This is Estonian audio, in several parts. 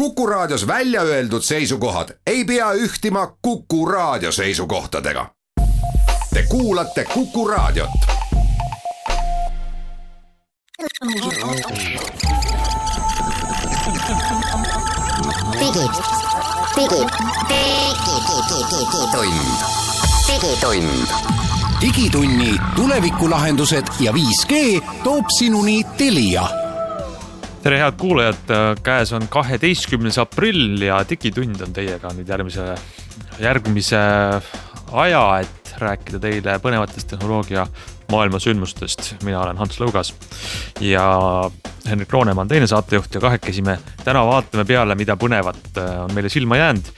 Kuku Raadios välja öeldud seisukohad ei pea ühtima Kuku Raadio seisukohtadega. Te kuulate Kuku Raadiot. Digitunni tulevikulahendused ja 5G toob sinuni Telia. Tere head kuulajad, käes on 12. aprill ja digitund on teiega nüüd järgmise aja, et rääkida teile põnevatest tehnoloogia maailma sündmustest. Mina olen Hans Lõugas ja Henrik Roonemaa on teine saatejuht ja kahekesi me täna vaatame peale, mida põnevat on meile silma jäänud.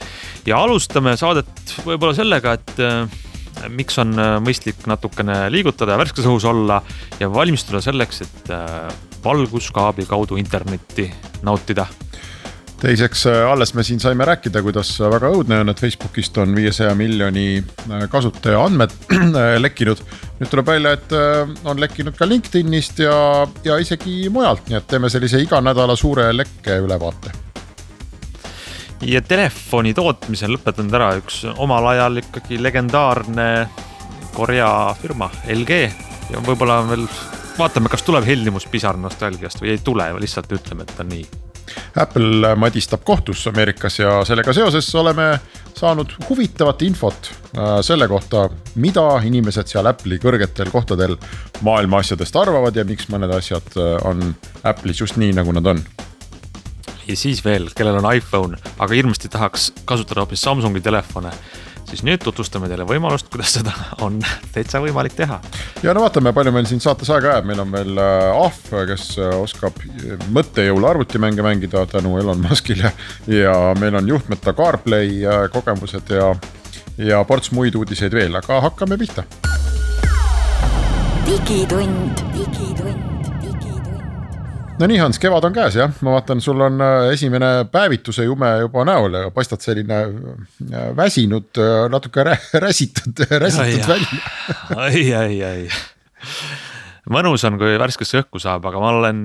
Ja alustame saadet võib-olla sellega, et miks on mõistlik natukene liigutada ja värskes õhus olla ja valmistuda selleks, et valguskaabli kaudu internetti nautida. Teiseks, alles me siin saime rääkida, kuidas väga õudne on, et Facebookist on 500 miljoni kasutaja andmed lekkinud. Nüüd tuleb välja, et on lekkinud ka LinkedInist ja isegi mujalt, nii et teeme sellise iga nädala suure lekke ülevaate. Ja telefoni tootmisel lõpetanud ära üks omal ajal ikkagi legendaarne Korea firma LG ja võib-olla veel vaatame, kas tuleb heldimus pisar nostalgiast või ei tule, lihtsalt ütleme, et on nii. Apple madistab kohtus Ameerikas ja sellega seoses oleme saanud huvitavat infot selle kohta, mida inimesed seal Apple'i kõrgetel kohtadel maailma asjadest arvavad ja miks mõned asjad on Apple'is just nii, nagu nad on. Ja siis veel, kellel on iPhone, aga hirmasti tahaks kasutada hoopis Samsungi telefone, siis nüüd tutvustame teile võimalust, kuidas seda on täitsa võimalik teha. Ja no vaatame, palju meil siin saates aega jääb. Meil on veel Ahv, kes oskab mõttejõul arvutimänge mängida tänu Elon Muskile ja meil on juhtmeta CarPlay kogemused ja ports muid uudiseid veel, aga hakkame pihta. Digitund. No nii Hans, kevad on käes, jah? Ma vaatan, sul on esimene päevituse jume juba näol ja paistad selline väsinud, natuke räsitud välja. Ai. Mõnus on, kui värskesse õhku saab, aga ma olen,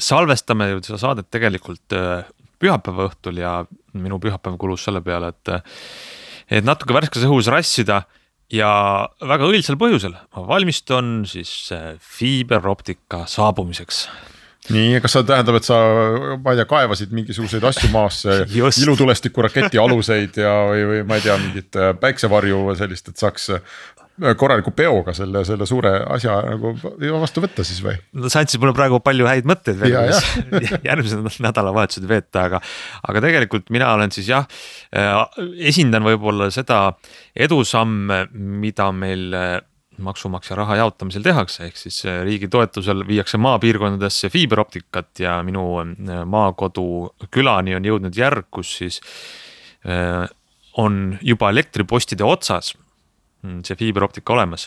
salvestame ju seda saadet tegelikult pühapäeva õhtul ja minu pühapäev kulus selle peale, et natuke värskes õhus rassida ja väga õilsel põhjusel. Ma valmistun siis fiiberoptika saabumiseks. Nii, kas sa tähendab, et sa kaevasid mingisuguseid asju maasse, ilutulestiku raketi aluseid ja või ma ei tea, mingit päiksevarju sellist, et saaks korraliku peoga selle suure asja nagu vastu võtta siis või? No sa andsid mulle praegu palju häid mõtteid veel, järgmise nädalavahetused veeta, aga tegelikult mina olen siis esindan võib-olla seda edusamme, mida meil maksumaksja raha jaotamisel tehakse, ehk siis riigi toetusel viiakse maapiirkondadesse fiiberoptikat ja minu maakodu külani on jõudnud järg, kus siis on juba elektripostide otsas see fiiberoptika olemas,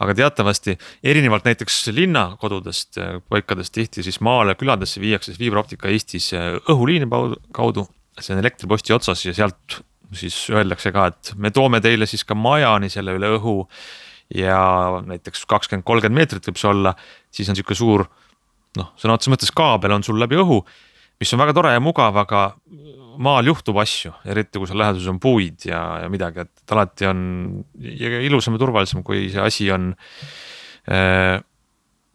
aga teatavasti erinevalt näiteks linnakodudest, paikadest tihti siis maale küladesse viiakse fiiberoptika Eestis õhuliini kaudu, see on elektriposti otsas ja sealt siis öeldakse ka, et me toome teile siis ka majani selle üle õhu ja näiteks 20-30 meetrit võib see olla, siis on siuke suur, sõna otseses mõttes kaabel on sul läbi õhu, mis on väga tore ja mugav, aga maal juhtub asju, eriti kui seal läheduses on puid ja midagi, et alati on ilusam ja turvalisem, kui see asi on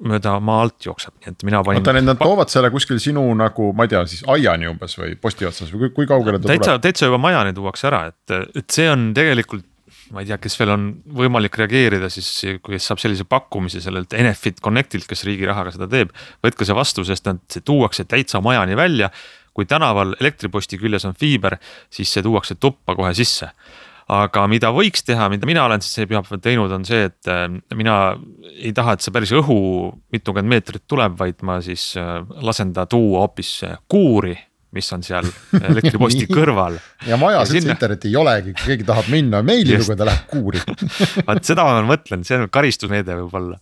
mööda maa alt jookseb. Et mina panin... Nad toovad selle kuskil sinu nagu, ma ei tea, siis aiani umbes või posti otsas või kui kaugele ta tuleb? Täitsa juba majani tuuakse ära, et see on tegelikult, ma ei tea, kes veel on võimalik reageerida, siis kui saab sellise pakkumise sellelt Enefit Connectilt, kes riigi rahaga seda teeb, võtke see vastu, sest see tuuakse täitsa majani välja. Kui tänaval elektriposti küljes on fiiber, siis see tuuakse tuppa kohe sisse. Aga mida võiks teha, mida mina olen siis pühapäeval teinud, on see, et mina ei taha, et see päris õhu mitukümmend meetrit tuleb, vaid ma siis lasen ta tuua hoopis kuuri, mis on seal elektriposti kõrval. Ja majas sinna... interneti ei olegi, kui keegi tahab minna meili lugeda, läheb kuuri. Vaat seda ma mõtlen, see on karistusmeede võib-olla.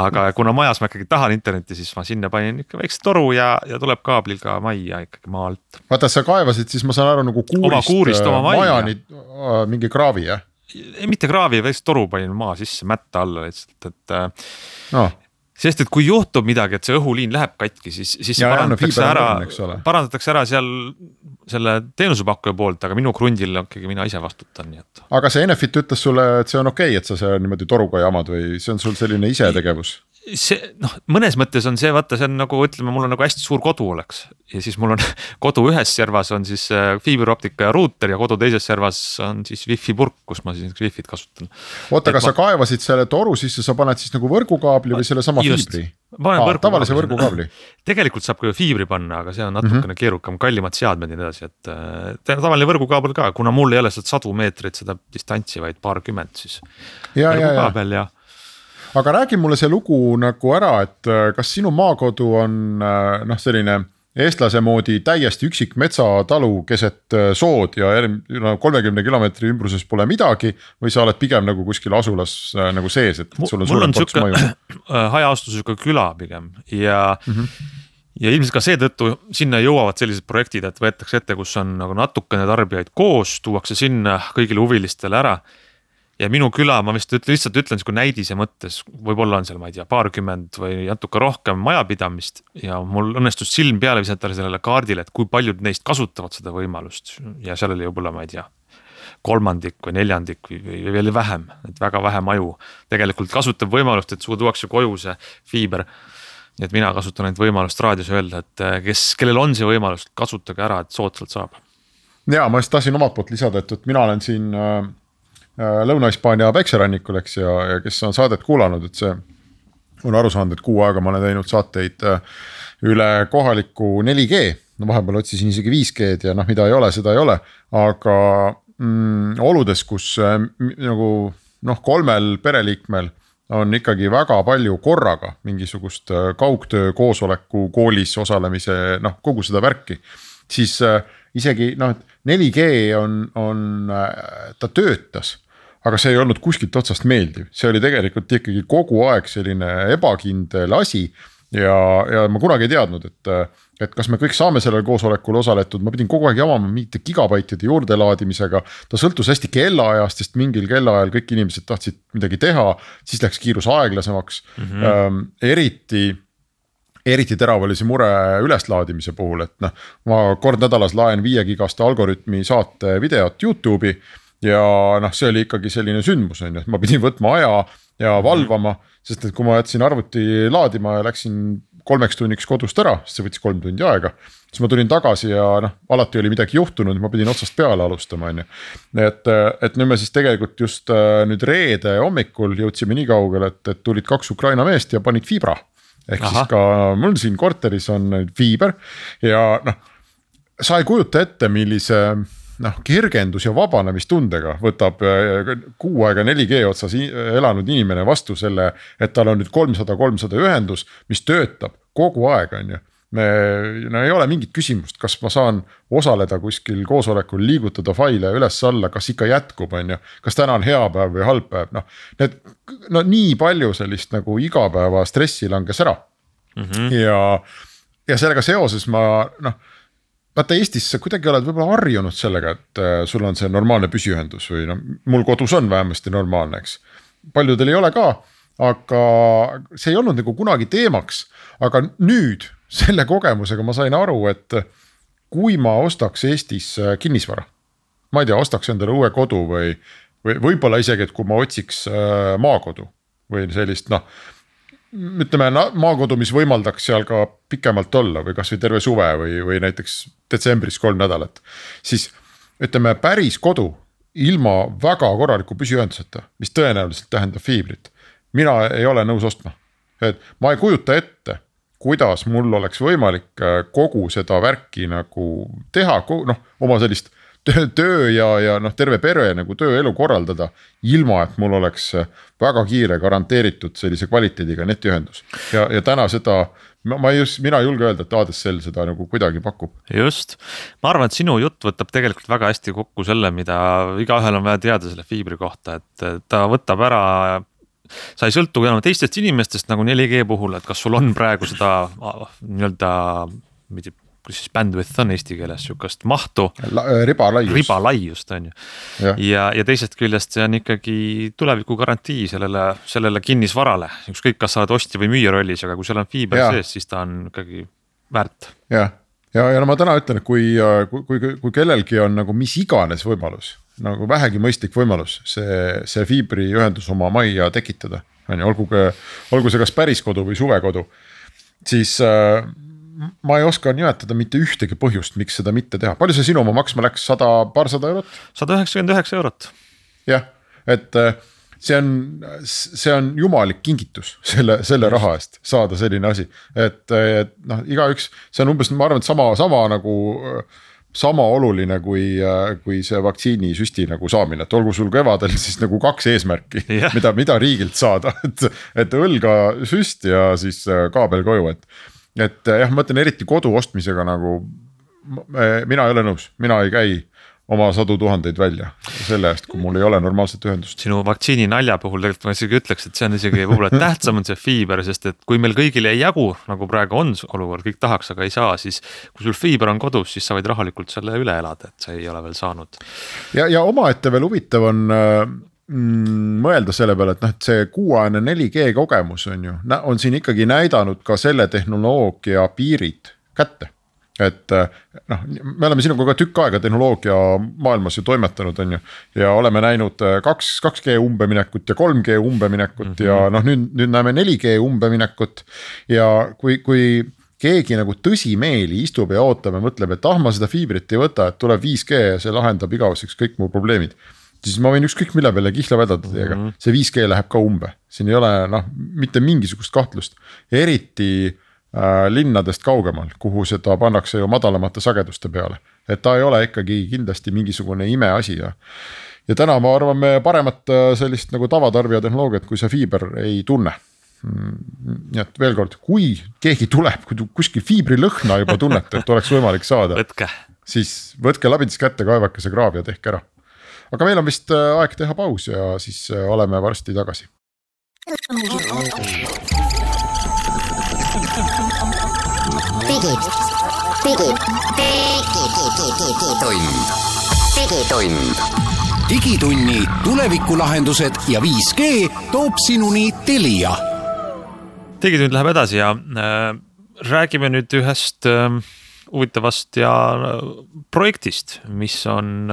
Aga kuna majas ma ikkagi tahan interneti, siis ma sinna panin ikka väikse toru ja tuleb kaablil ka majja ikkagi maa alt. Vaata, sa kaevasid, siis ma saan aru nagu kuurist oma majani mingi kraavi, jah? Mitte kraavi, väikse toru panin maa sisse mätta alla lihtsalt, et... sest et kui juhtub midagi, et see õhuliin läheb katki, siis see parandatakse ära seal selle teenusepakkuja poolt, aga minu krundil ikkagi mina ise vastutan. Nii et. Aga see Enefit ütles sulle, et see on okei, et sa see niimoodi toruga jamad või see on sul selline ise tegevus? Mõnes mõttes on see, vaata, see on nagu, ütleme, mul on nagu hästi suur kodu oleks ja siis mul on kodu ühes servas on siis fiiberoptika ja ruuter ja kodu teises servas on siis wifi purk, kus ma siis wifi't kasutan. Oota, kas sa kaevasid selle toru sisse, sa paned siis nagu võrgukaabli või selle sama fiibri? Tavalise võrgukaabli. Tegelikult saab ka fiibri panna, aga see on natukene keerukam, kallimad seadmed ja nii edasi, et tavaline võrgukaabel ka, kuna mul ei ole sadu meetrit seda distantsi, vaid paarkümmend siis võrgukaabel ja aga räägi mulle see lugu nagu ära, et kas sinu maakodu on selline eestlase moodi täiesti üksik metsatalu keset sood ja 30 kilomeetri ümbruses pole midagi või sa oled pigem nagu kuskil asulas nagu sees, et sul on suurem ports maju? Hajaastusega küla pigem ja ilmselt ka seetõttu sinna jõuavad sellised projektid, et võetakse ette, kus on nagu natukene tarbijaid koos, tuuakse sinna kõigile huvilistele ära. Ja minu küla, ma lihtsalt ütlen kui näidise mõttes, võib-olla on seal, ma ei tea, paarkümmend või natuke rohkem majapidamist ja mul õnnestus silm peale visata sellele kaardile, et kui paljud neist kasutavad seda võimalust ja seal oli võib-olla, ma ei tea, kolmandik või neljandik või veel vähem, et väga vähe maju tegelikult kasutab võimalust, et sulle tuuakse koju see fiiber. Nii et mina kasutan neid võimalust raadios öelda, et kellel on see võimalus, kasutage ära, et soodsalt saab. Ja ma just tahtsin omalt poolt lisada, et mina olen siin Lõuna-Hispaania päikserannikul, eks, ja kes on saadet kuulanud, et see on aru saanud, et 6 aega ma olen teinud saateid üle kohaliku 4G, no vahepeal otsisin isegi 5G-d ja mida ei ole, seda ei ole, aga oludes, kus nagu 3 pereliikmel on ikkagi väga palju korraga mingisugust kaugtöö, koosoleku, koolis osalemise, kogu seda värki, siis isegi 4G ta töötas, aga see ei olnud kuskilt otsast meeldiv. See oli tegelikult ikkagi kogu aeg selline ebakindel asi ja ma kunagi ei teadnud, et kas me kõik saame sellel koosolekul osaletud, ma pidin kogu aeg jamama mingite gigabaitide juurde laadimisega, ta sõltus hästi kellaajast, sest mingil kellaajal kõik inimesed tahtsid midagi teha, siis läks kiirus aeglasemaks, eriti terav oli see mure üleslaadimise puhul, et ma kord nädalas laen 5 gigaste algoritmi saate videot YouTube'i ja see oli ikkagi selline sündmus, et ma pidin võtma aja ja valvama, sest et kui ma jätsin arvuti laadima ja läksin 3 tunniks kodust ära, sest see võttis 3 tundi aega, siis ma tulin tagasi ja alati oli midagi juhtunud, ma pidin otsast peale alustama. Et nüüd me siis tegelikult just nüüd reede hommikul jõudsime nii kaugele, et tulid 2 Ukraina meest ja panid fiibra. Ehk siis ka mul siin korteris on fiiber ja sa ei kujuta ette, millise kergendus ja vabanemistundega võtab 6 aega 4G otsas elanud inimene vastu selle, et tal on nüüd 300 ühendus, mis töötab kogu aeg, on ju. Me ei ole mingit küsimust, kas ma saan osaleda kuskil koosolekul, liigutada faile üles-alla, kas ikka jätkub, on ju, kas täna on hea päev või halb päev, nii palju sellist nagu igapäeva stressi langes ära. Ja sellega seoses ma, vaata Eestis sa kuidagi oled võib-olla harjunud sellega, et sul on see normaalne püsiühendus või mul kodus on vähemasti normaalne, eks. Paljudel ei ole ka, aga see ei olnud nagu kunagi teemaks, aga nüüd selle kogemusega ma sain aru, et kui ma ostaks Eestis kinnisvara, ma ei tea, ostaks endale uue kodu või võib-olla isegi, et kui ma otsiks maakodu või sellist, ütleme maakodu, mis võimaldaks seal ka pikemalt olla või kas või terve suve või näiteks detsembris 3 nädalat, siis ütleme päris kodu ilma väga korraliku püsiühenduseta, mis tõenäoliselt tähendab fiibrit, mina ei ole nõus ostma. Et ma ei kujuta ette, kuidas mul oleks võimalik kogu seda värki nagu teha, oma sellist töö ja terve pere nagu tööelu korraldada, ilma et mul oleks väga kiire garanteeritud sellise kvaliteediga netiühendus. Ja täna seda, mina julge öelda, et ADSL seda nagu kuidagi pakub. Just, ma arvan, et sinu jutt võtab tegelikult väga hästi kokku selle, mida igaühel on vaja teada selle fiibri kohta, et ta võtab ära, sa ei sõltu enam teistest inimestest nagu 4G puhul, et kas sul on praegu seda nii-öelda kus siis bandwidth on eesti keeles, sihukest mahtu. Ribalaius just on ju. Ja teisest küljest see on ikkagi tuleviku garantii sellele kinnisvarale. Ükskõik, kas sa oled ostja või müüja rollis, aga kui seal on fiiber sees, siis ta on ikkagi väärt. Ja no ma täna ütlen, et kui kellelgi on nagu mis iganes võimalus, nagu vähegi mõistlik võimalus see fiibriühendus oma majja tekitada, olgu see kas päris kodu või suvekodu, siis ma ei oska nimetada mitte ühtegi põhjust, miks seda mitte teha. Palju see sinu oma maksma läks? 100-200 eurot? 199 eurot. Jah, et see on jumalik kingitus selle raha eest saada selline asi, et noh, igaüks, see on umbes, ma arvan, et sama oluline kui see vaktsiinisüsti nagu saamine, et olgu sul kevadel siis nagu 2 eesmärki, mida riigilt saada, et õlga süst ja siis kaabel koju, et jah, ma mõtlen eriti kodu ostmisega nagu mina ei ole nõus, mina ei käi oma 100 000 välja selle eest, kui mul ei ole normaalset ühendust. Sinu vaktsiini nalja puhul tegelikult ma isegi ütleks, et see on isegi võib-olla tähtsam on see fiiber, sest et kui meil kõigil ei jagu, nagu praegu on olukord, kõik tahaks, aga ei saa, siis kui sul fiiber on kodus, siis sa võid rahulikult selle üle elada, et sa ei ole veel saanud. Ja omaette veel huvitav on mõelda selle peale, et et see kuuajane 4G kogemus on siin ikkagi näidanud ka selle tehnoloogia piirid kätte. Et noh, me oleme sinuga ka tükk aega tehnoloogia maailmas ju toimetanud ja oleme näinud 2G umbeminekut ja 3G umbeminekut ja noh, nüüd näeme 4G umbeminekut ja kui keegi nagu tõsimeeli istub ja ootab ja mõtleb, et ma seda fiibrit ei võta, et tuleb 5G ja see lahendab igaveseks kõik mu probleemid, siis ma võin ükskõik mille peale kihla vedada teiega, see 5G läheb ka umbe, siin ei ole mitte mingisugust kahtlust, eriti linnadest kaugemal, kuhu seda pannakse ju madalamate sageduste peale, et ta ei ole ikkagi kindlasti mingisugune imeasi ja täna ma arvan me paremat sellist nagu tavatarbija tehnoloogiat, kui see fiiber ei tunne. Nii et veel kord, kui keegi tuleb, kui kuskil fiibri lõhna juba tunnete, et oleks võimalik saada, siis võtke labidis kätte, kaevake see kraav ja tehke ära. Aga meil on vist aeg teha paus ja siis oleme varsti tagasi. Digitunni tulevikulahendused ja 5G toob sinuni Telia. Digitund läheb edasi ja räägime nüüd ühest huvitavast ja projektist, mis on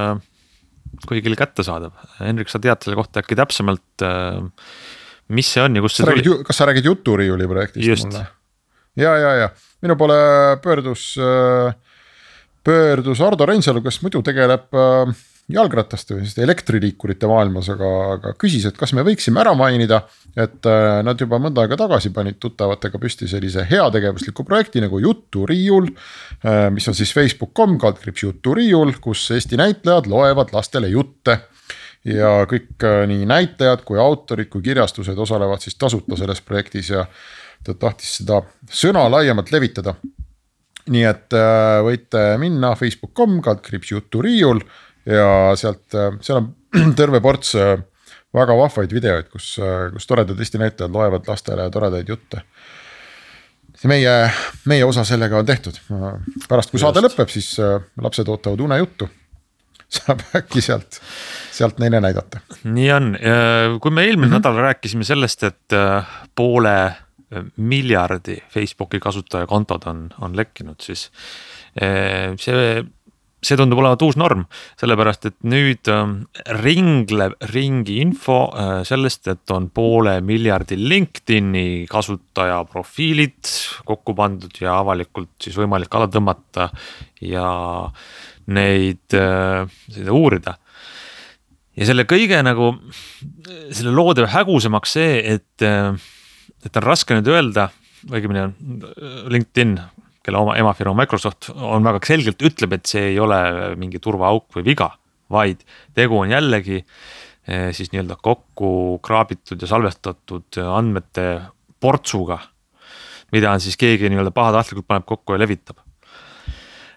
kõigil kättesaadav. Henrik, sa tead selle kohta äkki täpsemalt, mis see on ja kus see tuli? Kas sa räägid Juturiiuli projektist? Just. Mulle? Ja. Minu poole pöördus Ardo Reinsalu, kes muidu tegeleb jalgrattaste või elektriliikurite maailmas, aga küsis, et kas me võiksime ära mainida, et nad juba mõnda aega tagasi panid tuttavatega püsti sellise heategevusliku projekti nagu Juturiiul, mis on siis facebook.com /Juturiiul, kus Eesti näitlejad loevad lastele jutte ja kõik nii näitlejad kui autorid kui kirjastused osalevad siis tasuta selles projektis ja ta tahtis seda sõna laiemalt levitada. Nii et võite minna facebook.com /Juturiiul ja seal on terve ports väga vahvaid videoid, kus toredad Eesti näitajad loevad lastele toredaid jutte. Meie osa sellega on tehtud. Pärast kui saade lõpeb, siis lapsed ootavad unejuttu. Saab äkki sealt neile näidata. Nii on. Kui me eelmine nädal rääkisime sellest, et 500 miljardi Facebooki kasutaja kontod on lekkinud, siis see tundub olevat uus norm, sellepärast, et nüüd ringleb ringi info sellest, et on 500 miljardi LinkedIn'i kasutaja profiilid kokku pandud ja avalikult siis võimalik alla tõmmata ja neid uurida. Ja selle kõige nagu, selle loode hägusemaks see, et on raske nüüd öelda, õigemini LinkedIn, kelle oma emafirma Microsoft on väga selgelt ütleb, et see ei ole mingi turvaauk või viga, vaid tegu on jällegi siis nii-öelda kokku kraabitud ja salvestatud andmete portsuga, mida on siis keegi nii-öelda pahatahtlikult paneb kokku ja levitab.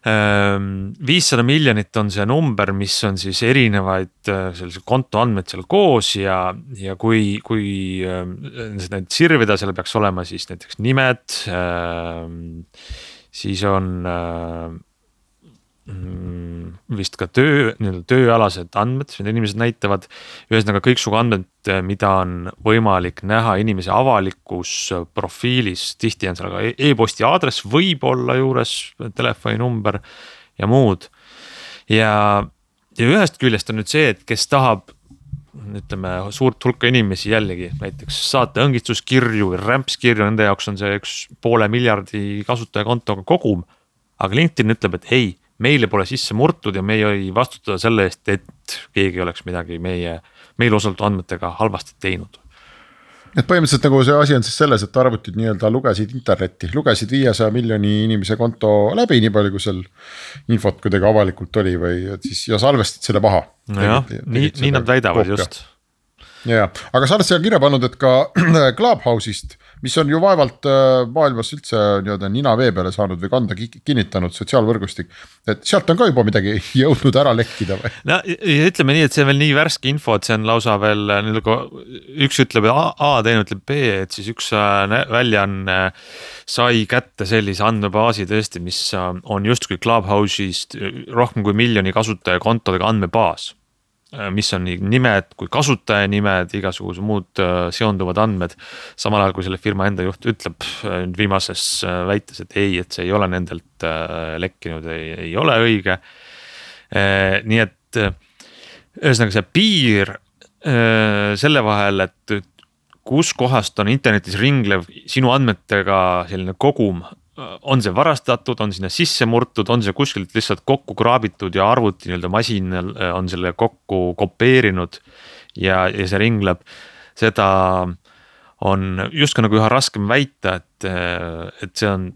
500 miljonit on see number, mis on siis erinevaid sellise konto andmed seal koos ja kui neid sirvida, seal peaks olema siis näiteks nimed, siis on vist ka tööalased andmed, mida inimesed näitavad. Ühesõnaga kõiksugu andmed, mida on võimalik näha inimese avalikus profiilis, tihti on seal ka e-posti aadress, võib olla juures telefoninumber ja muud. Ja ühest küljest on nüüd see, et kes tahab, ütleme, suurt hulka inimesi jällegi, näiteks saate õngistuskirju või rämpskirju, nende jaoks on see 1,5 miljardi kasutajakontoga kogum, aga LinkedIn ütleb, et ei, meile pole sisse murtud ja me ei vastutada selle eest, et keegi oleks midagi meil osaldatud andmetega halvasti teinud. Et põhimõtteliselt nagu see asi on siis selles, et arvutid nii-öelda lugesid internetti, lugesid 500 miljoni inimese konto läbi, nii palju kui seal infot kuidagi avalikult oli või siis ja salvestid selle maha. Nojah, nii nad väidavad koopia. Just. Ja, aga sa oled seal kirja pannud, et ka Clubhouse'ist, mis on ju vaevalt maailmas üldse nina vee peale saanud või kanda kinnitanud sotsiaalvõrgustik, et sealt on ka juba midagi jõudnud ära lekkida või? No ütleme nii, et see on veel nii värske info, et see on lausa veel, üks ütleb A, teine ütleb B, et siis üks väljaanne sai kätte sellise andmebaasi tõesti, mis on justkui Clubhouse'ist rohkem kui 1 miljoni kasutaja kontodega andmebaas, mis on nii nimed kui kasutaja nimed, igasugused muud seonduvad andmed. Samal ajal kui selle firma enda juht ütleb viimases väites, et ei, et see ei ole nendelt lekkinud, ei ole õige. Nii et ühesõnaga see piir selle vahel, et kus kohast on internetis ringlev sinu andmetega selline kogum, on see varastatud, on sinna sisse murtud, on see kuskilt lihtsalt kokku kraabitud ja arvuti masin on selle kokku kopeerinud ja see ringleb. Seda on just nagu üha raskem väita, et see on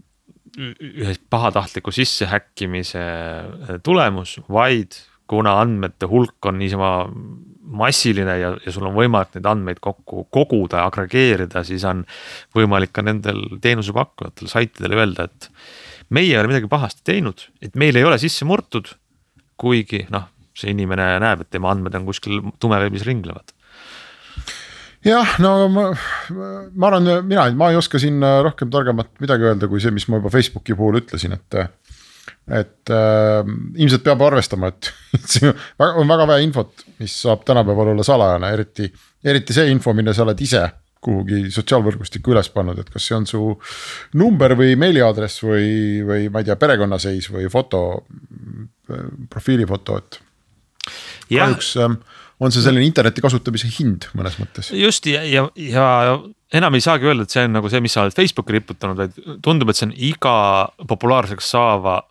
ühe pahatahtliku sissehäkkimise tulemus, vaid kuna andmete hulk on niisama massiline ja sul on võimalik neid andmeid kokku koguda ja agregeerida, siis on võimalik ka nendel teenusepakkujatel saitidel öelda, et meie ei ole midagi pahasti teinud, et meil ei ole sisse murtud, kuigi see inimene näeb, et tema andmed on kuskil tumeveebis ringlevad. Jah, no ma arvan, ma ei oska siin rohkem targemat midagi öelda kui see, mis ma juba Facebooki puhul ütlesin, et ilmselt peab arvestama, et see on väga vähe infot, mis saab tänapäeval olla salajane, eriti see info, mille sa oled ise kuhugi sotsiaalvõrgustikku üles pannud, et kas see on su number või meiliaadress või ma ei tea, perekonnaseis või foto, profiilifoto, et kahjuks on see selline interneti kasutamise hind mõnes mõttes. Just ja enam ei saagi öelda, et see on nagu see, mis sa oled Facebooki riputanud, vaid tundub, et see on iga populaarseks saava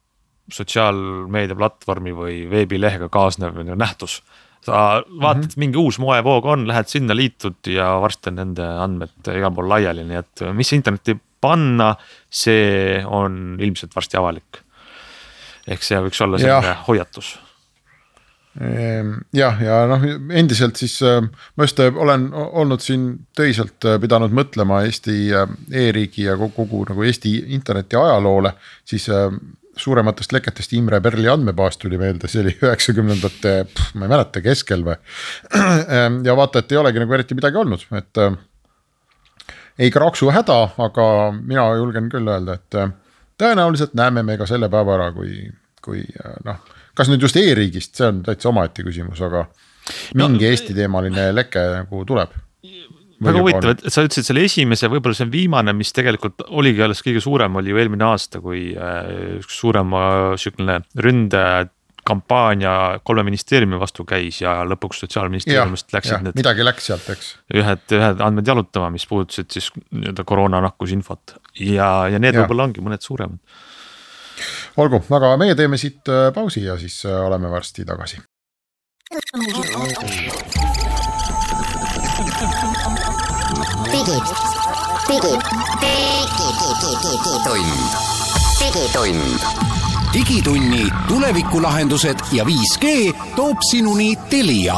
sotsiaalmeedia platvormi või veebilehega kaasnev nähtus. Sa vaatad, mingi uus moevoog on, lähed sinna, liitud ja varsti on nende andmed igal pool laiali, nii et mis internetti panna, see on ilmselt varsti avalik. Ehk see võiks olla selline hoiatus. Ja endiselt siis ma just olen olnud siin töiselt pidanud mõtlema Eesti e-riigi ja kogu nagu Eesti interneti ajaloole, siis suurematest leketest Imre Perli andmebaas tuli meelde, see oli 90ndate, ma ei mäleta, keskel või. Ja vaata, et ei olegi nagu eriti midagi olnud, et ei kraksu häda, aga mina julgen küll öelda, et tõenäoliselt näeme me ka selle päeva ära, kui kas nüüd just e-riigist, see on täitsa omaette küsimus, aga mingi Eesti teemaline leke nagu tuleb. Väga huvitav, et sa ütlesid selle esimese, võib-olla see on viimane, mis tegelikult oligi alles kõige suurem, oli ju eelmine aasta, kui üks suurem ründekampaania 3 ministeeriumi vastu käis ja lõpuks sotsiaalministeeriumist läksid need midagi läks sealt, eks. Ühed andmed jalutama, mis puudusid siis koroonanakkusinfot ja need võib-olla ongi mõned suuremad. Olgu, aga meie teeme siit pausi ja siis oleme varsti tagasi. Digitunni tulevikulahendused ja 5G toob sinuni Telia.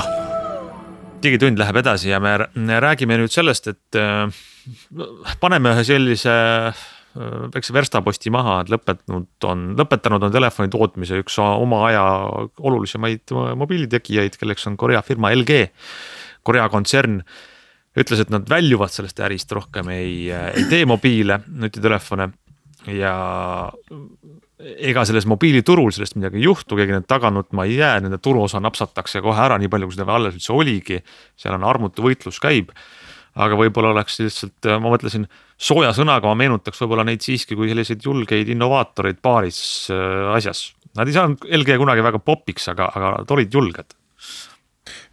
Digitund läheb edasi ja me räägime nüüd sellest, et paneme ühe sellise väikse verstaposti maha, et lõpetanud on telefoni tootmise üks oma aja olulisemaid mobiilitegijaid, kelleks on Korea firma LG. Korea kontsern ütles, et nad väljuvad sellest ärist rohkem ei tee mobiile, nutitelefone ja ega selles mobiiliturul sellest midagi ei juhtu, keegi need taga nutma ei jää, nende turuosa napsatakse kohe ära, nii palju kui seda alles üldse oligi, seal on armutu võitlus käib, aga võib-olla oleks lihtsalt, ma mõtlesin, sooja sõnaga ma meenutaks võib-olla neid siiski kui selliseid julgeid innovaatoreid paaris asjas. Nad ei saanud LG kunagi väga popiks, aga olid julged.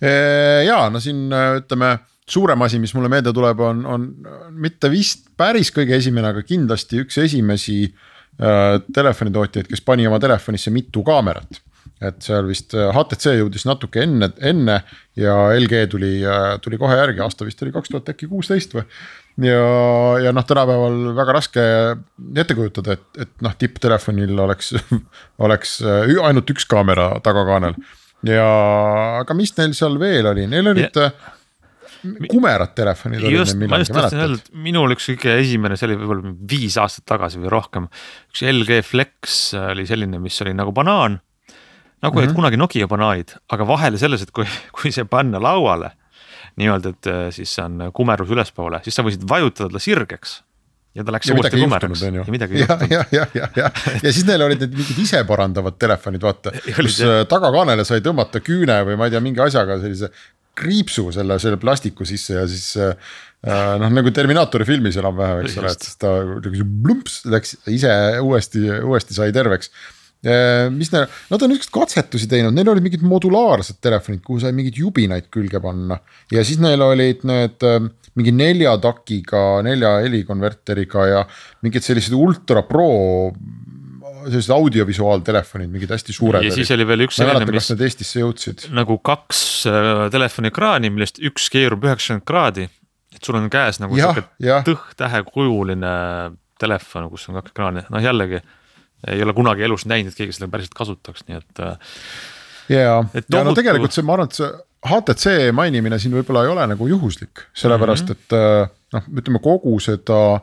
Jaa, no siin ütleme, suurem asi, mis mulle meelde tuleb, on mitte vist päris kõige esimene, aga kindlasti üks esimesi telefonitootjaid, kes pani oma telefonisse mitu kaamerat. Et seal vist HTC jõudis natuke enne ja LG tuli kohe järgi, aasta vist oli 2016 või. Ja tänapäeval väga raske ette kujutada, et tipptelefonil oleks ainult üks kaamera tagakaanel. Ja aga mis neil seal veel oli? Neil olid kumerad telefonid. Just, ma just tahtsin öelda, et minul üks kõige esimene, see oli võib-olla 5 aastat tagasi või rohkem. Üks LG Flex oli selline, mis oli nagu banaan, nagu et kunagi Nokia banaanid, aga vahele selles, et kui see panna lauale, nii-öelda, et siis on kumerus ülespoole, siis sa võisid vajutada ta sirgeks. Ja ta läks uuesti kumeraks. Ja midagi ei juhtunud. Ja siis neil olid need mingid ise parandavad telefonid, vaata, kus tagakaanele sai tõmmata küüne või ma ei tea, mingi asjaga sellise kriipsu selle plastiku sisse ja siis nagu Terminaatori filmis enam vähe, eks ole, et siis ta blumps läks ise uuesti sai terveks. Mis nad on ükskord katsetusi teinud, neil olid mingid modulaarsed telefonid, kuhu sai mingid jubinaid külge panna ja siis neil olid need mingi 4 takiga, 4 helikonverteriga ja mingid sellised Ultra Pro sellised audiovisuaaltelefonid, mingid hästi suured. Ja siis oli veel üks selline, mis need Eestisse jõudsid. Nagu 2 telefonikraani, millest üks keerub 90 kraadi, et sul on käes nagu tõht-tähe kujuline telefon, kus on 2 kraani. Jällegi ei ole kunagi elus näinud, et keegi seda päriselt kasutaks, nii et ja tegelikult see, ma arvan, et see HTC mainimine siin võib-olla ei ole nagu juhuslik, sellepärast, et ütleme kogu seda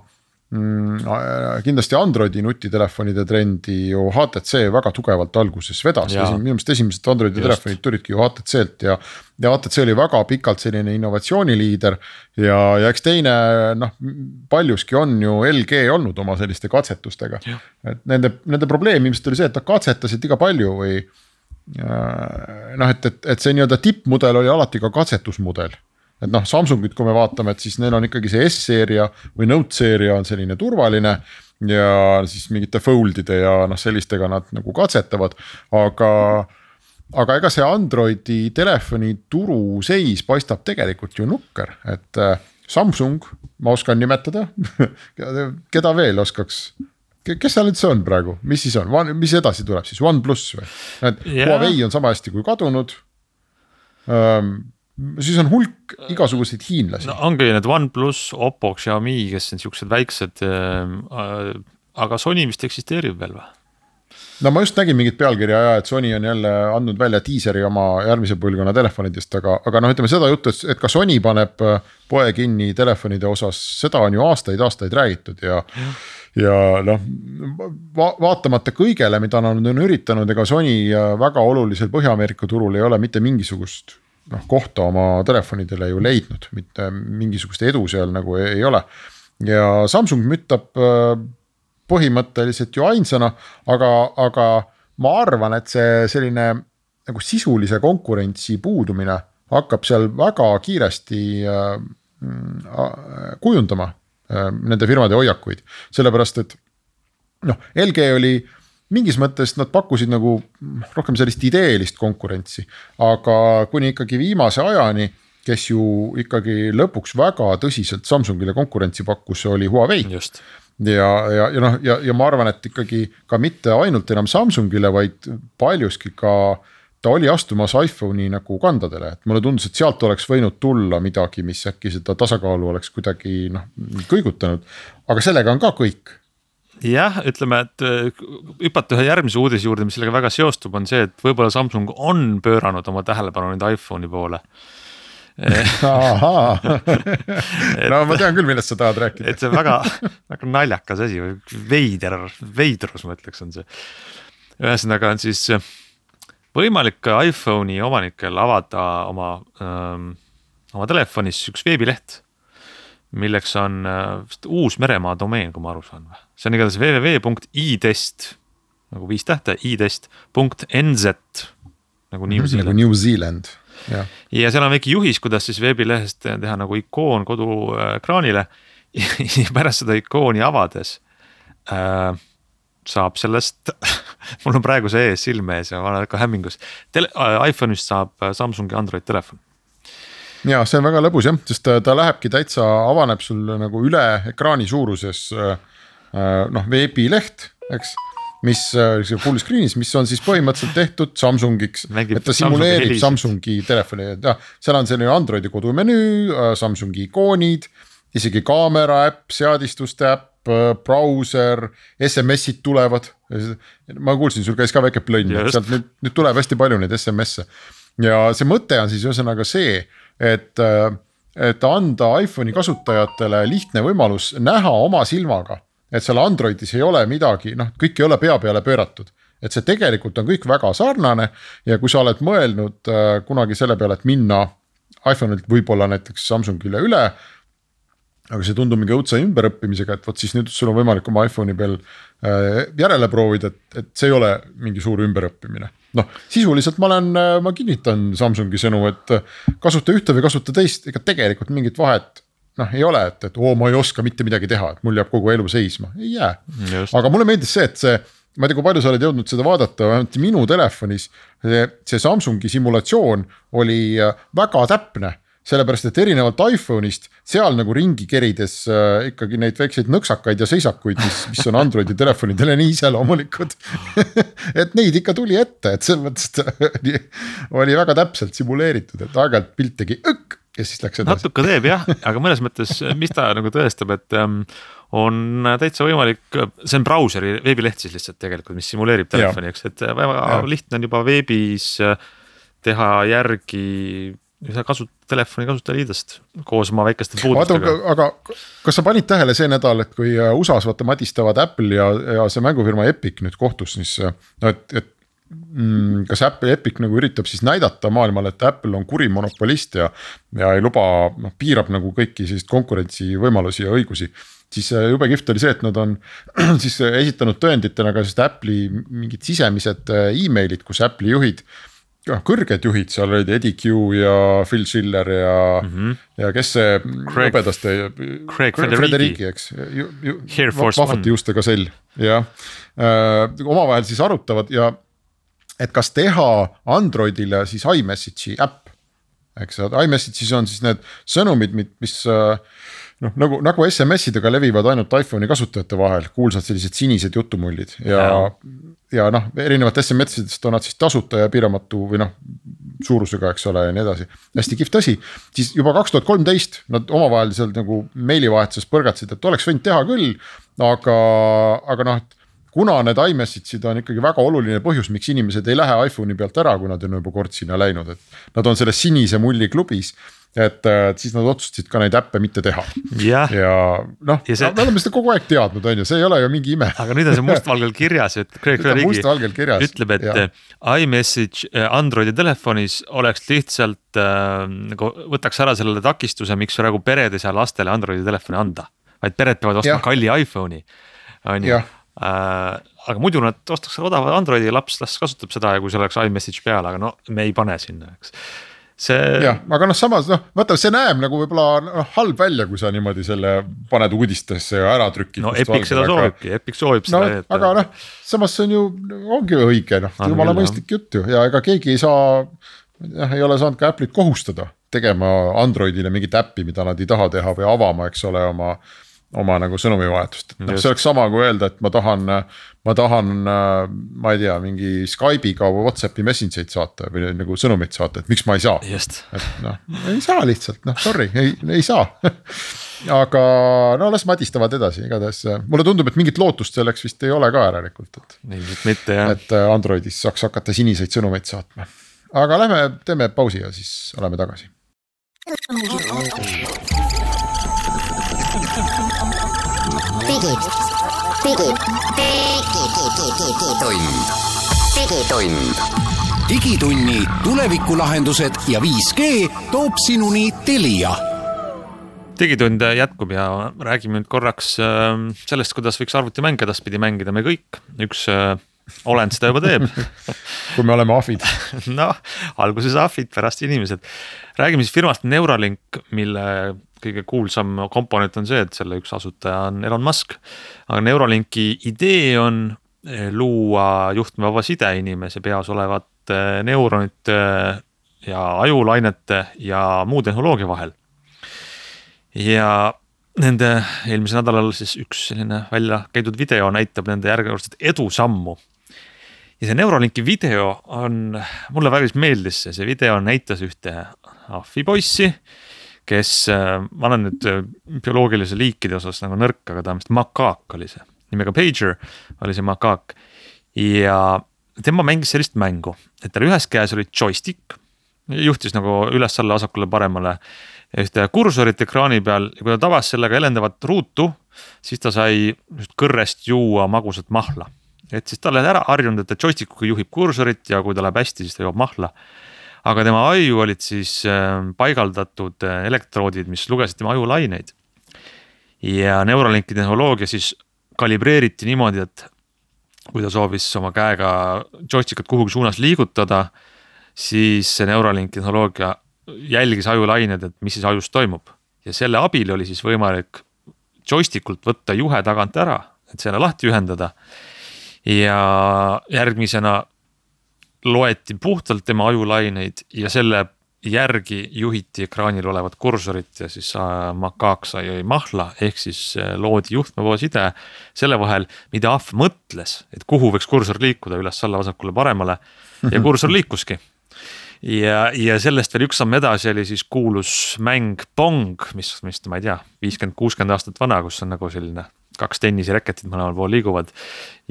kindlasti Androidi nutitelefonide trendi ju HTC väga tugevalt alguses vedas. Minu meelest esimesed Androidi telefonid tulidki ju HTC-lt ja HTC oli väga pikalt selline innovatsiooniliider ja eks teine paljuski on ju LG olnud oma selliste katsetustega. Et nende probleem ilmselt oli see, et ta katsetasid iga palju või et see nii-öelda tippmudel oli alati ka katsetusmudel. Et Samsungit, kui me vaatame, et siis neil on ikkagi see S-seeria või Note-seeria on selline turvaline ja siis mingite foldide ja sellistega nad nagu katsetavad, aga ega see Androidi telefoni turu seis paistab tegelikult ju nukker, et Samsung, ma oskan nimetada, keda veel oskaks, kes seal üldse on praegu, mis siis on, mis edasi tuleb siis, OnePlus või? Huawei on sama hästi kui kadunud, siis on hulk igasuguseid hiinlasi. Ongi need OnePlus, Oppo, Xiaomi, kes on siuksed väiksed, aga Sony vist eksisteerib veel või? Ma just nägin mingit pealkirja ja et Sony on jälle andnud välja teaseri oma järgmise põlvkonna telefonidest, aga ütleme seda juttu, et ka Sony paneb poe kinni telefonide osas, seda on ju aastaid räägitud ja vaatamata kõigele, mida nad on üritanud, ega Sony väga olulisel Põhja-Ameerika turul ei ole mitte mingisugust kohta oma telefonidele ju leidnud, mitte mingisugust edu seal nagu ei ole. Ja Samsung müttab põhimõtteliselt ju ainsana, aga ma arvan, et see selline nagu sisulise konkurentsi puudumine hakkab seal väga kiiresti kujundama nende firmade hoiakuid, sellepärast et LG oli mingis mõttes nad pakkusid nagu rohkem sellist ideelist konkurentsi, aga kuni ikkagi viimase ajani, kes ju ikkagi lõpuks väga tõsiselt Samsungile konkurentsi pakkus, oli Huawei. Just. Ja ma arvan, et ikkagi ka mitte ainult enam Samsungile, vaid paljuski ka ta oli astumas iPhone'i nagu kandadele, et mulle tundus, et sealt oleks võinud tulla midagi, mis äkki seda tasakaalu oleks kuidagi kõigutanud, aga sellega on ka kõik. Jah, ütleme, et hüpata ühe järgmise uudise juurde, mis sellega väga seostub, on see, et võib-olla Samsung on pööranud oma tähelepanu nüüd iPhone'i poole. Ma tean küll, millest sa tahad rääkida. Et see väga naljakas asi, veidrus ma ütleks on see. Ühesõnaga on siis võimalik iPhone'i omanikel avada oma telefonis üks veebileht, milleks on uus meremaa domeen, kui ma aru saan. See on igatahes www.itest, nagu 5 tähte, itest.nz, nagu New Zealand. Nagu New Zealand, jah. Ja seal on väike juhis, kuidas siis veebilehest teha nagu ikoon kodu ekraanile ja pärast seda ikooni avades saab sellest, mul on praegu see ees silme ees ja ma olen ka hämmingus, iPhone'ist saab Samsungi Android telefon. Ja see on väga lõbus jah, sest ta lähebki täitsa, avaneb sul nagu üle ekraani suuruses veebileht, eks, mis full screen'is, mis on siis põhimõtteliselt tehtud Samsungiks, et ta simuleerib Samsungi telefoni, seal on selline Androidi kodumenüü, Samsungi ikoonid, isegi kaamera äpp, seadistuste äpp, brauser, SMS-id tulevad, ma kuulsin, sul käis ka väike plönn, sealt nüüd tuleb hästi palju neid SMS-e ja see mõte on siis ühesõnaga see, et anda iPhone'i kasutajatele lihtne võimalus näha oma silmaga, et seal Androidis ei ole midagi, kõik ei ole pea peale pööratud, et see tegelikult on kõik väga sarnane ja kui sa oled mõelnud kunagi selle peale, et minna iPhone'ilt võib-olla näiteks Samsungile üle, aga see tundub mingi õudse ümberõppimisega, et võt siis nüüd sul on võimalik oma iPhone'i peal järele proovida, et see ei ole mingi suur ümberõppimine. Sisuliselt ma kinnitan Samsungi sõnu, et kasuta ühte või kasuta teist, ega tegelikult mingit vahet ei ole, et ma ei oska mitte midagi teha, et mul jääb kogu elu seisma, ei jää. Just. Aga mulle meeldis see, et ma ei tea, kui palju sa oled jõudnud seda vaadata, vähemalt minu telefonis see Samsungi simulatsioon oli väga täpne, sellepärast, et erinevalt iPhone'ist seal nagu ringi kerides ikkagi neid väikseid nõksakaid ja seisakuid, mis on Androidi telefonidele nii iseloomulikud, et neid ikka tuli ette, et selles mõttes oli väga täpselt simuleeritud, et aeg-ajalt pilt tegi ja siis läks edasi. Natuke teeb jah, aga mõnes mõttes, mis ta nagu tõestab, et on täitsa võimalik, see on brauseri veebileht siis lihtsalt tegelikult, mis simuleerib telefoni, eks, et väga lihtne on juba veebis teha järgi telefoni kasutajaliidest koos oma väikeste puudustega. Aga kas sa panid tähele see nädal, et kui USA-s madistavad Apple ja see mängufirma Epic nüüd kohtus, siis kas Epic nagu üritab siis näidata maailmale, et Apple on kuri monopolist ja ei luba, piirab nagu kõiki sellist konkurentsi võimalusi ja õigusi, siis jube kihvt oli see, et nad on siis esitanud tõenditena ka Apple'i mingid sisemised e-mailid, kus Apple'i juhid, kõrged juhid, seal olid Eddie Q ja Phil Schiller ja kes see õpedaste Craig Federighi, eks, vahvati justega sell ja omavahel siis arutavad ja et kas teha Androidile siis iMessage'i äpp, eks, iMessage'is on siis need sõnumid, mis nagu SMS-idega levivad ainult iPhone'i kasutajate vahel, kuulsad sellised sinised jutumullid ja erinevat SMS-idest on nad siis tasuta ja piiramatu või suurusega, eks ole, ja nii edasi. Hästi kihvt asi, siis juba 2013 nad omavahel seal nagu meilivahetuses põrgatsid, et oleks võinud teha küll, aga kuna need iMessage'id on ikkagi väga oluline põhjus, miks inimesed ei lähe iPhone'i pealt ära, kui nad on juba kord sinna läinud, et nad on selles sinise mulli klubis, et siis nad otsustasid ka neid äppe mitte teha. Ja me oleme seda kogu aeg teadnud, on ju, see ei ole ju mingi ime. Aga nüüd on see mustvalgel kirjas, et Craig Federighi ütleb, et iMessage Androidi telefonis oleks lihtsalt, võtaks ära sellele takistuse, miks praegu pered ei saa lastele Androidi telefoni anda, vaid pered peavad ostma kalli iPhone'i, on ju. Aga muidu nad ostaks odava Androidi ja laps kasutab seda ja kui see oleks iMessage peale, aga me ei pane sinna, eks. Aga samas, vaata, see näeb nagu võib-olla halb välja, kui sa niimoodi selle paned uudistesse ja ära trükid. Epic seda soovibki, Epic soovib seda. Aga samas see on ju, ongi õige, jumala mõistlik jutt ju ja ega keegi ei saa, ei ole saanud ka Apple'it kohustada tegema Androidile mingit äppi, mida nad ei taha teha või avama, eks ole, oma nagu sõnumivahetust. See oleks sama kui öelda, et ma tahan, ma ei tea, mingi Skype'iga või WhatsAppi messengereid saata või nagu sõnumit saata, et miks ma ei saa. Just. Et ei saa lihtsalt, sorry, ei saa. Aga las madistavad edasi, igatahes. Mulle tundub, et mingit lootust selleks vist ei ole ka järelikult. Mitte, jah. Et Androidis saaks hakata siniseid sõnumeid saatma. Aga teeme pausi ja siis oleme tagasi. Digitunni tulevikulahendused ja 5G toob sinuni Telia. digitund jätkub ja räägime nüüd korraks sellest, kuidas võiks arvutimänge edaspidi mängida me kõik. Üks olend seda juba teeb. Kui me oleme ahvid. No, alguses ahvid, pärast inimesed. Räägime siis firmast Neuralink, mille kõige kuulsam komponent on see, et selle üks asutaja on Elon Musk. Aga Neuralinki idee on luua juhtmevaba side inimese peas olevate neuronite ja ajulainete ja muu tehnoloogia vahel. Ja nende eelmisel nädalal siis üks selline välja käidud video näitab nende järgmist edusammu. Ja see Neuralinki video on, mulle väga meeldis see video näitas ühte ahvipoissi, kes, ma olen nüüd bioloogilise liikide osas nagu nõrk, aga ta on makaak oli see. Nimega Pager oli see makaak ja tema mängis sellist mängu, et tal ühes käes oli joystick, juhtis nagu üles-alla vasakule paremale ühte kursorit ekraani peal ja kui ta tabas sellega elendavat ruutu, siis ta sai kõrrest juua magusat mahla. Et siis ta oli ära harjunud, et ta joystickuga juhib kursorit ja kui ta läheb hästi, siis ta joob mahla. Aga tema aju olid siis paigaldatud elektroodid, mis lugesid tema ajulaineid. Ja Neuralinki tehnoloogia siis kalibreeriti niimoodi, et kui ta soovis oma käega joystickat kuhugi suunas liigutada, siis see Neuralinki tehnoloogia jälgis ajulained, et mis siis ajus toimub. Ja selle abil oli siis võimalik joystickult võtta juhe tagant ära, et selle lahti ühendada. Ja järgmisena loeti puhtalt tema ajulaineid ja selle järgi juhiti ekraanil olevat kursorit ja siis makaak sai mahla ehk siis loodi juhtmevaba side selle vahel, mida ahv mõtles, et kuhu võiks kursor liikuda üles-alla vasakule paremale ja kursor liikuski. Ja sellest veel üks samm edasi oli siis kuulus mäng Pong, mis ma ei tea, 50-60 aastat vana, kus on nagu selline 2 tennisiraketit mõlemal pool liiguvad.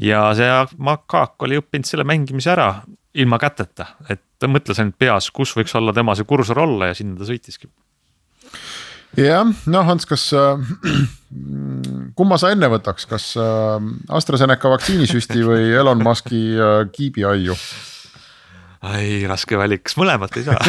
Ja see makaak oli õppinud selle mängimise ära ilma käteta, et ta mõtles ainult peas, kus võiks olla tema see kursor olla ja sinna ta sõitiski. Ja, no Hans, kas kumma sa enne võtaks, kas AstraZeneca vaktsiinisüsti või Elon Muski kiibi aiu? Ai, raske valik, kas mõlemat ei saa?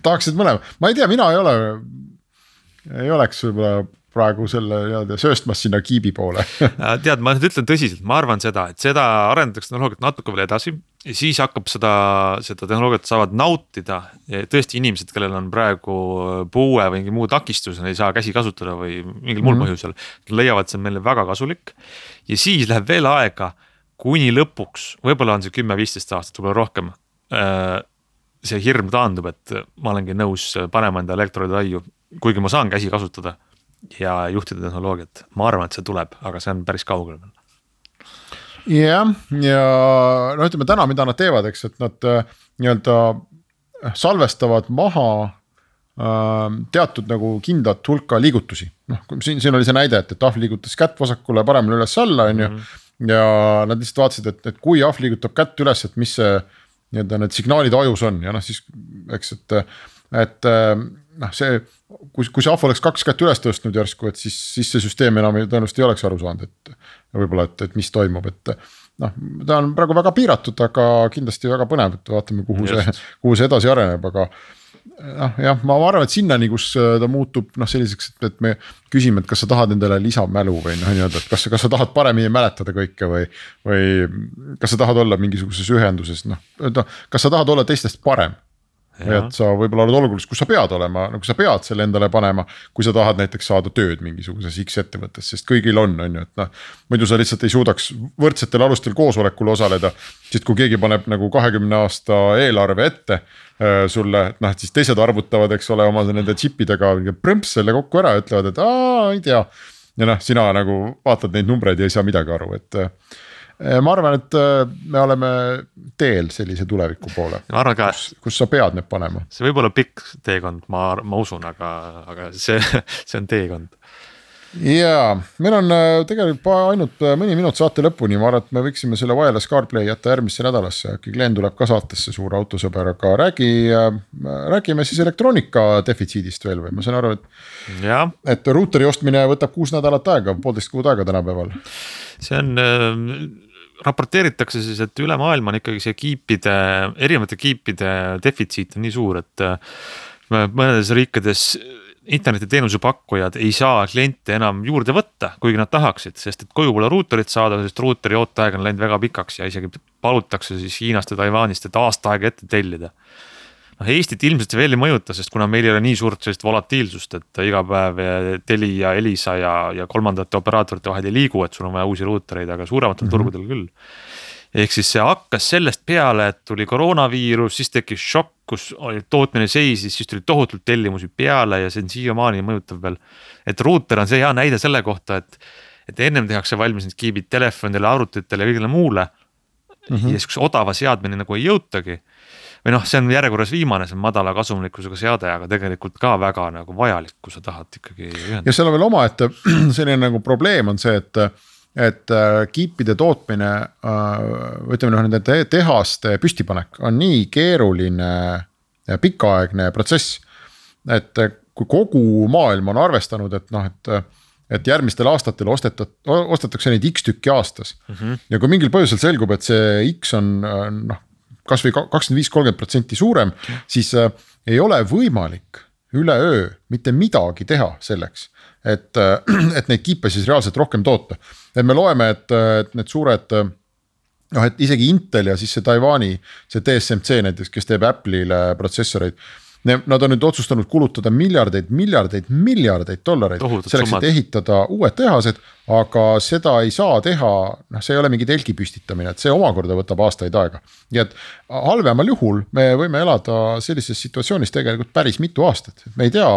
Tahaksid mõlema? Ma ei tea, mina ei oleks võib-olla praegu selle sööstmas sinna kiibi poole. Tead, ma nüüd ütlen tõsiselt, ma arvan seda, et seda arendatakse tehnoloogiat natuke veel edasi, siis hakkab seda tehnoloogiat saavad nautida tõesti inimesed, kellel on praegu puue või mingi muu takistus, ei saa käsi kasutada või mingil muul põhjusel, leiavad see meile väga kasulik ja siis läheb veel aega, kuni lõpuks, võib-olla on see 10-15 aastat, võib-olla rohkem, see hirm taandub, et ma olengi nõus panema enda elektroide aiu, kuigi ma saan käsi kasutada ja juhtida tehnoloogiat. Ma arvan, et see tuleb, aga see on päris kaugel. Ja no ütleme täna, mida nad teevad, eks, et nad nii-öelda salvestavad maha teatud nagu kindlat hulka liigutusi. No, siin oli see näide, et ahv liigutas kätt vasakule paremale üles-alla on ju, ja nad lihtsalt vaatasid, et kui ahv liigutab kätt üles, et mis see nii-öelda need signaalid ajus on ja noh siis, eks, et noh, see, kui see ahv oleks 2 kätt üles tõstnud järsku, et siis see süsteem enam tõenäoliselt ei oleks aru saanud, et võib-olla, et mis toimub, et noh, ta on praegu väga piiratud, aga kindlasti väga põnev, et vaatame, kuhu see edasi areneb, aga noh, jah, ma arvan, et sinnani, kus ta muutub selliseks, et me küsime, et kas sa tahad endale lisamälu või nii-öelda, et kas sa tahad paremini mäletada kõike või kas sa tahad olla mingisuguses ühenduses, kas sa tahad olla teistest parem. Ja. Et sa võib-olla oled olukorras, kus sa pead olema, nagu sa pead selle endale panema, kui sa tahad näiteks saada tööd mingisuguses X ettevõttes, sest kõigil on ju, et noh, muidu sa lihtsalt ei suudaks võrdsetel alustel koosolekul osaleda, sest kui keegi paneb nagu 20 aasta eelarve ette sulle, et noh, et siis teised arvutavad, eks ole, oma nende chipidega prõmps selle kokku ära, ütlevad, et ei tea. Ja noh, sina nagu vaatad neid numbreid ja ei saa midagi aru, et ma arvan, et me oleme teel sellise tuleviku poole, kus sa pead need panema. See võib olla pikk teekond, ma usun, aga see on teekond. Ja meil on tegelikult ainult mõni minut saate lõpuni, ma arvan, et me võiksime selle Wireless CarPlay jätta järgmisse nädalasse, äkki Glen tuleb ka saatesse suur autosõber, aga räägime siis elektroonika defitsiidist veel või ma saan aru, et ruuteri ostmine võtab 6 nädalat aega, 1,5 kuud aega tänapäeval. See on raporteeritakse siis, et üle maailma on ikkagi see erinevate kiipide defitsiit on nii suur, et mõnedes riikides internetiteenuse pakkujad ei saa kliente enam juurde võtta, kuigi nad tahaksid, sest et koju pole ruuterit saada, sest ruuteri ooteaeg on läinud väga pikaks ja isegi palutakse siis Hiinast ja Taiwanist, et aasta aega ette tellida. Eestit ilmselt veel ei mõjuta, sest kuna meil ei ole nii suurt sellist volatiilsust, et iga päev Teli ja Elisa ja kolmandate operaatorite vahel ei liigu, et sul on vaja uusi ruutereid, aga suurematel turgudel küll. Ehk siis see hakkas sellest peale, et tuli koroonaviirus, siis tekkis šokk, kus tootmine seisis, siis tuli tohutult tellimusi peale ja see on siiamaani mõjutav veel. Et ruuter on see hea näide selle kohta, et ennem tehakse valmis need kiibid telefonidele, arvutitele ja kõigile muule ja siis odava seadmine nagu ei jõutagi. Või see on järjekorras viimane, see on madala kasumlikkusega seade, aga tegelikult ka väga nagu vajalik, kui sa tahad ikkagi ühendada. Ja seal on veel oma, et selline nagu probleem on see, et kiipide tootmine, ütleme nende tehaste püstipanek on nii keeruline ja pikaaegne protsess, et kui kogu maailm on arvestanud, et järgmistel aastatel ostetakse neid X tükki aastas ja kui mingil põhjusel selgub, et see X on kas või 25-30% suurem, siis ei ole võimalik üleöö mitte midagi teha selleks, et neid kiipe siis reaalselt rohkem toota. Et me loeme, et need suured, et isegi Intel ja siis see Taiwani, see TSMC näiteks, kes teeb Apple'ile protsessoreid, nad on nüüd otsustanud kulutada miljardeid dollareid selleks, et ehitada uued tehased, aga seda ei saa teha, see ei ole mingi telgi püstitamine, et see omakorda võtab aastaid aega. Ja et halvemal juhul me võime elada sellises situatsioonis tegelikult päris mitu aastat, et me ei tea,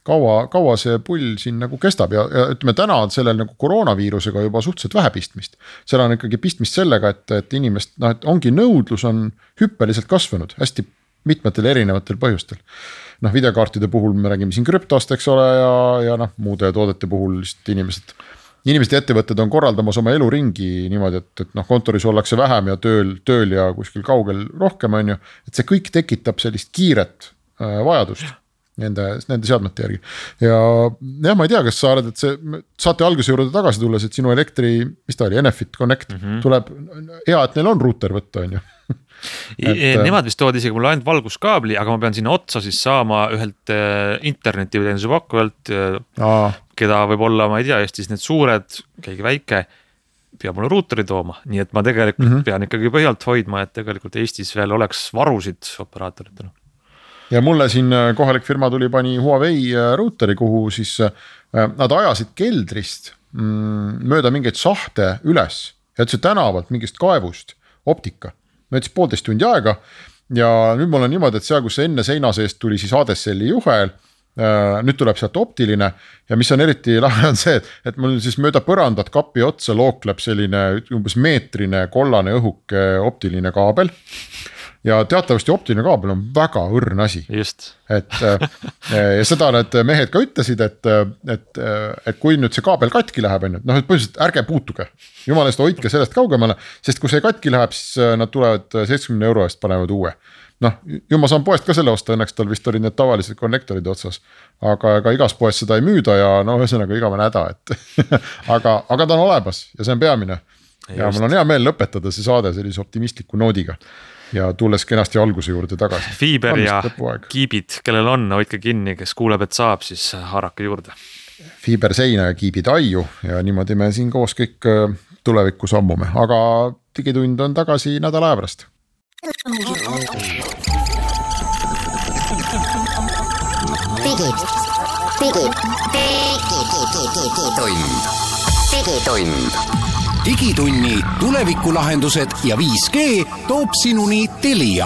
kaua see pull siin nagu kestab ja ütleme täna on sellel nagu koroonaviirusega juba suhteliselt vähe pistmist. Seal on ikkagi pistmist sellega, et inimest, et ongi nõudlus on hüppeliselt kasvanud hästi mitmetel erinevatel põhjustel. Videokaartide puhul me räägime siin krüptost, eks ole, ja muude toodete puhul inimesed ja ettevõtted on korraldamas oma eluringi niimoodi, et kontoris ollakse vähem ja tööl ja kuskil kaugel rohkem on ju, et see kõik tekitab sellist kiiret vajadust nende seadmete järgi. Ja ma ei tea, kas sa arvad, et see saate alguse juurde tagasi tulles, et sinu mis ta oli, Enefit Connect tuleb hea, et neil on ruuter võtta, on ju. Nemad vist tood isegi mulle ainult valguskaabli, aga ma pean sinna otsa siis saama ühelt internetiteenuse pakkujalt, keda võib olla, ma ei tea, Eestis need suured, keegi väike, peab mulle ruuteri tooma, nii et ma tegelikult pean ikkagi põhjalt hoidma, et tegelikult Eestis veel oleks varusid operaatoritena. Ja mulle siin kohalik firma pani Huawei ruuteri, kuhu siis nad ajasid keldrist mööda mingeid sahte üles ja see tänavalt mingist kaevust optika. Mõtles 1,5 tundi aega ja nüüd mul on niimoodi, et seal, kus enne seina seest tuli siis ADSL-i juhel, nüüd tuleb sealt optiline ja mis on eriti lahe on see, et mul siis mööda põrandat kapi otsa lookleb selline umbes meetrine kollane õhuke optiline kaabel. Ja teatavasti optiline kaabel on väga õrn asi. Just. Ja seda need mehed ka ütlesid, et kui nüüd see kaabel katki läheb, et põhiliselt ärge puutuge. Jumala eest hoidke sellest kaugemale, sest kui see katki läheb, siis nad tulevad 70 € eest panevad uue. Ju ma saan poest ka selle osta, õnneks tal vist olid need tavalised konnektorid otsas, aga igas poes seda ei müüda ja ühesõnaga igavene häda, aga ta on olemas ja see on peamine. Ja mul on hea meel lõpetada see saade sellise optimistliku noodiga. Ja tulles kenasti alguse juurde tagasi. Fiiber ja kiibid, kellel on, hoidke kinni, kes kuuleb, et saab, siis haarake juurde. Fiiber seina ja kiibid aiu ja niimoodi me siin koos kõik tulevikku sammume, aga digitund on tagasi nädala aja pärast. Digitunni tulevikulahendused ja 5G toob sinuni Telia.